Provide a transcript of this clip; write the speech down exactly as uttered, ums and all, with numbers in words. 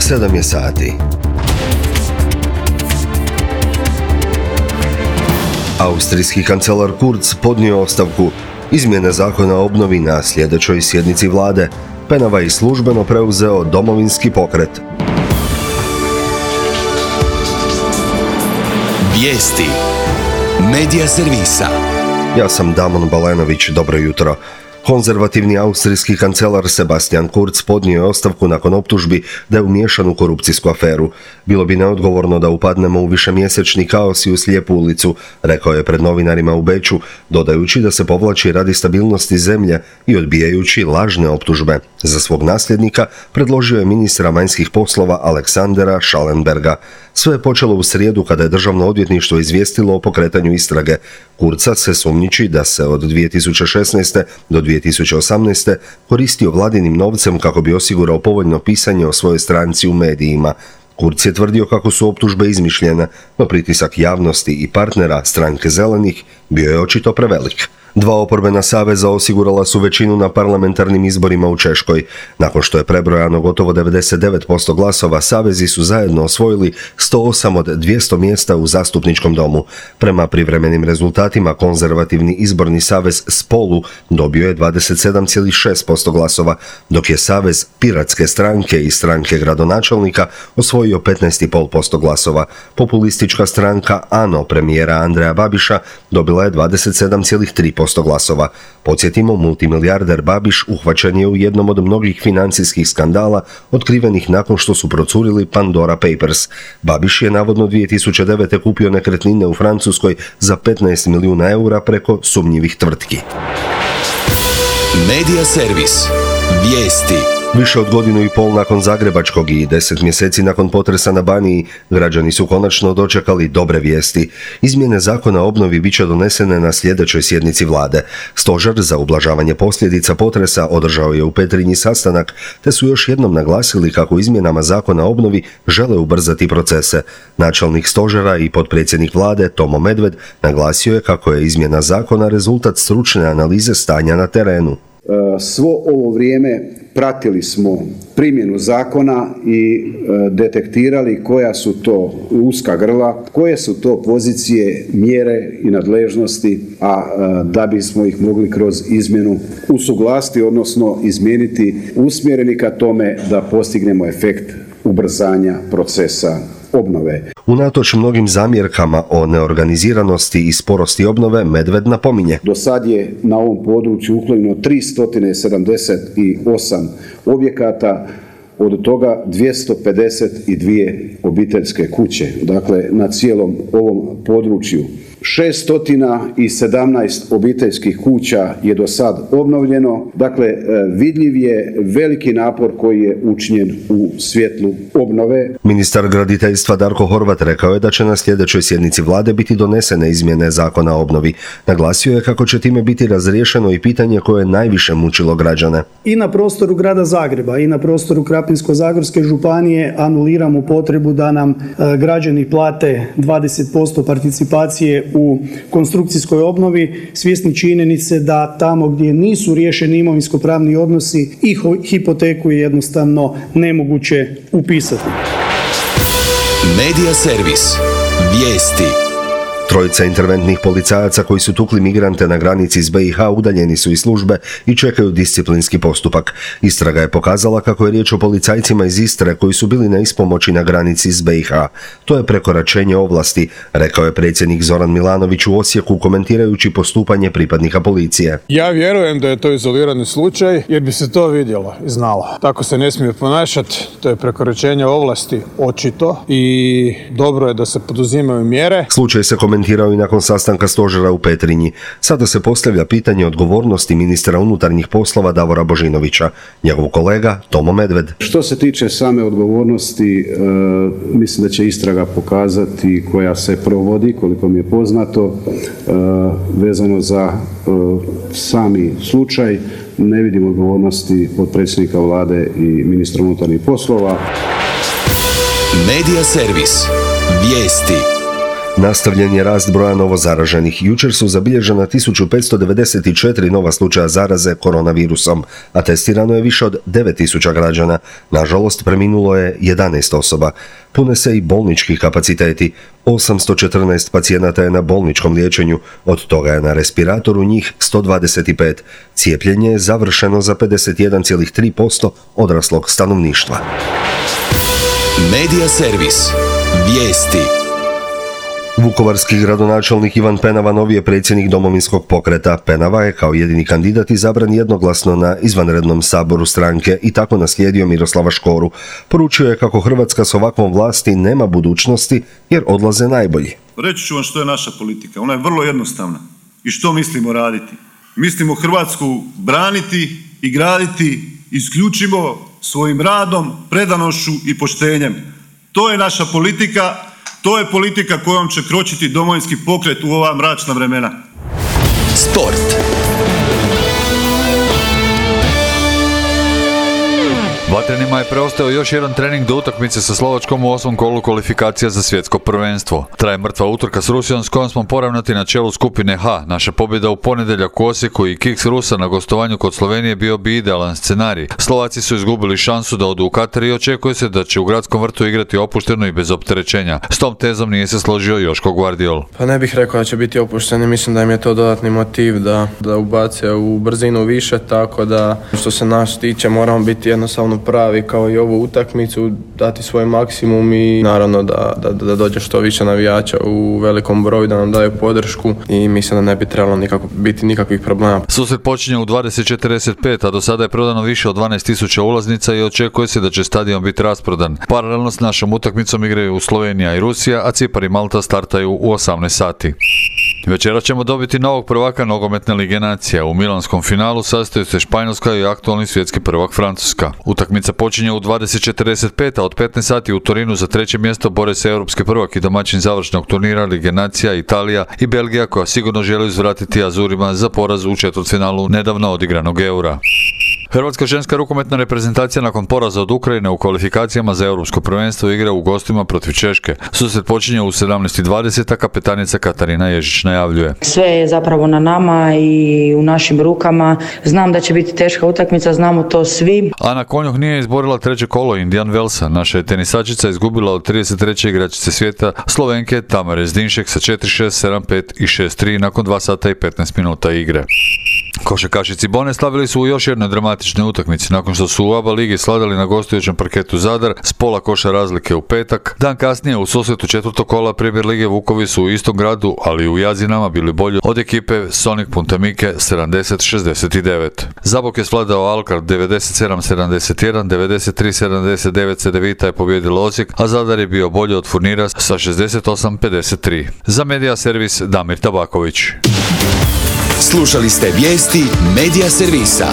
sedam je sati. Austrijski kancelar Kurz podnio ostavku. Izmjene zakona o obnovi na sljedećoj sjednici vlade. Penava je službeno preuzeo Domovinski pokret. Vijesti Medija servisa. Ja sam Damon Balenović, dobro jutro. Konzervativni austrijski kancelar Sebastian Kurz podnio je ostavku nakon optužbi da je umiješan u korupcijsku aferu. Bilo bi neodgovorno da upadnemo u višemjesečni kaos i u slijepu ulicu, rekao je pred novinarima u Beču, dodajući da se povlači radi stabilnosti zemlje i odbijajući lažne optužbe. Za svog nasljednika predložio je ministra vanjskih poslova Aleksandera Schallenberga. Sve je počelo u srijedu kada je državno odvjetništvo izvijestilo o pokretanju istrage. Kurza se sumnjiči da se od dvije tisuće šesnaeste do dvije tisuće osamnaeste koristio vladinim novcem kako bi osigurao povoljno pisanje o svojoj stranci u medijima. Kurz je tvrdio kako su optužbe izmišljene, no pritisak javnosti i partnera stranke Zelenih bio je očito prevelik. Dva oporbena saveza osigurala su većinu na parlamentarnim izborima u Češkoj. Nakon što je prebrojano gotovo devedeset devet posto glasova, savezi su zajedno osvojili sto osam od dvjesto mjesta u zastupničkom domu. Prema privremenim rezultatima, konzervativni izborni savez Spolu dobio je dvadeset sedam zarez šest posto glasova, dok je savez Piratske stranke i stranke gradonačelnika osvojio petnaest zarez pet posto glasova. Populistička stranka ANO premijera Andreja Babiša dobila je dvadeset sedam zarez tri posto glasova. Podsjetimo, multimilijarder Babiš uhvaćen je u jednom od mnogih financijskih skandala otkrivenih nakon što su procurili Pandora Papers. Babiš je navodno dvije tisuće devete kupio nekretnine u Francuskoj za petnaest milijuna eura preko sumnjivih tvrtki. Medija servis. Vijesti. Više od godinu i pol nakon zagrebačkog i deset mjeseci nakon potresa na Baniji, građani su konačno dočekali dobre vijesti. Izmjene zakona o obnovi bit će donesene na sljedećoj sjednici vlade. Stožer za ublažavanje posljedica potresa održao je u Petrinji sastanak, te su još jednom naglasili kako izmjenama zakona o obnovi žele ubrzati procese. Načelnik stožera i potpredsjednik vlade Tomo Medved naglasio je kako je izmjena zakona rezultat stručne analize stanja na terenu. Svo ovo vrijeme pratili smo primjenu zakona i detektirali koja su to uska grla, koje su to pozicije, mjere i nadležnosti, a da bismo ih mogli kroz izmjenu usuglasiti, odnosno izmijeniti, usmjereni ka tome da postignemo efekt ubrzanja procesa obnove. Unatoč mnogim zamjerkama o neorganiziranosti i sporosti obnove, Medved napominje. Do sad je na ovom području uklonjeno tristo sedamdeset osam objekata, od toga dvjesto pedeset dvije obiteljske kuće, dakle na cijelom ovom području. šesto sedamnaest obiteljskih kuća je do sad obnovljeno, dakle vidljiv je veliki napor koji je učinjen u svjetlu obnove. Ministar graditeljstva Darko Horvat rekao je da će na sljedećoj sjednici vlade biti donesene izmjene zakona o obnovi. Naglasio je kako će time biti razriješeno i pitanje koje je najviše mučilo građane. I na prostoru grada Zagreba i na prostoru Krapinsko-zagorske županije anuliramo potrebu da nam e, građani plate dvadeset posto participacije u konstrukcijskoj obnovi, svjesni činjenice da tamo gdje nisu riješeni imovinsko-pravni odnosi i hipoteku je jednostavno nemoguće upisati. Medija servis. Vijesti. Trojica interventnih policajaca koji su tukli migrante na granici s B i H udaljeni su iz službe i čekaju disciplinski postupak. Istraga je pokazala kako je riječ o policajcima iz Istre koji su bili na ispomoći na granici s B i H. To je prekoračenje ovlasti, rekao je predsjednik Zoran Milanović u Osijeku komentirajući postupanje pripadnika policije. Ja vjerujem da je to izolirani slučaj jer bi se to vidjelo i znalo. Tako se ne smije ponašati, to je prekoračenje ovlasti očito i dobro je da se poduzimaju mjere. Slučaj se komentirao i nakon sastanka stožera u Petrinji. Sada se postavlja pitanje odgovornosti ministra unutarnjih poslova Davora Božinovića. Njegov kolega Tomo Medved. Što se tiče same odgovornosti, e, mislim da će istraga pokazati koja se provodi, koliko mi je poznato, e, vezano za e, sami slučaj. Ne vidim odgovornosti potpredsjednika vlade i ministra unutarnjih poslova. Medija servis. Vijesti. Nastavljen je rast broja novozaraženih. Jučer su zabilježena tisuću petsto devedeset četiri nova slučaja zaraze koronavirusom, a testirano je više od devet tisuća građana. Nažalost, preminulo je jedanaest osoba. Pune se i bolnički kapaciteti. osamsto četrnaest pacijenata je na bolničkom liječenju, od toga je na respiratoru njih sto dvadeset pet. Cijepljenje je završeno za pedeset jedan zarez tri posto odraslog stanovništva. Medija servis. Vijesti. Vukovarski gradonačelnik Ivan Penava novi je predsjednik Domovinskog pokreta. Penava je kao jedini kandidat izabran jednoglasno na izvanrednom saboru stranke i tako naslijedio Miroslava Škoru. Poručio je kako Hrvatska s ovakvom vlasti nema budućnosti jer odlaze najbolji. Reći ću vam što je naša politika. Ona je vrlo jednostavna. I što mislimo raditi? Mislimo Hrvatsku braniti i graditi isključivo svojim radom, predanošću i poštenjem. To je naša politika. To je politika kojom će kročiti Domovinski pokret u ova mračna vremena. Sport. Vatrenima je preostao još jedan trening do utakmice sa Slovačkom u osmom kolu kvalifikacija za svjetsko prvenstvo. Traje mrtva utrka s Rusijom s kojom smo poravnati na čelu skupine H. Naša pobjeda u ponedjeljak u Osijeku i kiks Rusa na gostovanju kod Slovenije bio bi idealan scenarij. Slovaci su izgubili šansu da odu u Katar i očekuje se da će u gradskom vrtu igrati opušteno i bez opterećenja. S tom tezom nije se složio Joško Guardiol. Pa ne bih rekao da će biti opušteni, mislim da im je to dodatni motiv da, da ubace u brzinu više, tako da što se nas tiče moramo biti jednostavno pravi kao i ovu utakmicu, dati svoj maksimum i naravno da, da, da dođe što više navijača u velikom broju, da nam daju podršku i mislim da ne bi trebalo nikako, biti nikakvih problema. Susret počinje u dvadeset četrdeset pet, a do sada je prodano više od dvanaest tisuća ulaznica i očekuje se da će stadion biti rasprodan. Paralelno s našom utakmicom igraju Slovenija i Rusija, a Cipar i Malta startaju u osamnaest sati. Večera ćemo dobiti novog prvaka nogometne lige nacija. U milanskom finalu sastaju se Španjolska i aktualni svjetski prvak Francuska. Utakmica počinje u dvadeset četrdeset pet, a od petnaest sati u Torinu za treće mjesto bore se europski prvak i domaćin završnog turnira lige nacija Italija i Belgija, koja sigurno želi uzvratiti Azurima za poraz u četvrtfinalu nedavno odigranog Eura. Hrvatska ženska rukometna reprezentacija nakon poraza od Ukrajine u kvalifikacijama za europsko prvenstvo igra u gostima protiv Češke. Susret počinje u sedamnaest dvadeset, a kapetanica Katarina Ježić najavljuje. Sve je zapravo na nama i u našim rukama. Znam da će biti teška utakmica, znamo to svi. Ana Konjuh nije izborila treće kolo Indian Wellsa. Naša je tenisačica izgubila od trideset treće igračice svijeta Slovenke Tamare Zdinšek sa četiri šest, sedam pet i šest tri nakon dva sata i petnaest minuta igre. Košarkaši Cibone slavili su u još jednoj dramatičnoj utakmici nakon što su u A B A ligi sladali na gostujućem parketu Zadar s pola koša razlike u petak. Dan kasnije u susretu četvrtog kola Premier lige Vukovi su u istom gradu, ali u Jazinama bili bolji od ekipe Sonic Punta Mike sedamdeset šezdeset devet. Zabok je svladao Alkar devedeset sedam sedamdeset jedan, devedeset tri sedamdeset devet Cedevita je pobijedila Osijek, a Zadar je bio bolji od Furnira sa šezdeset osam pedeset tri. Za Medija servis Damir Tabaković. Slušali ste vijesti Medija servisa.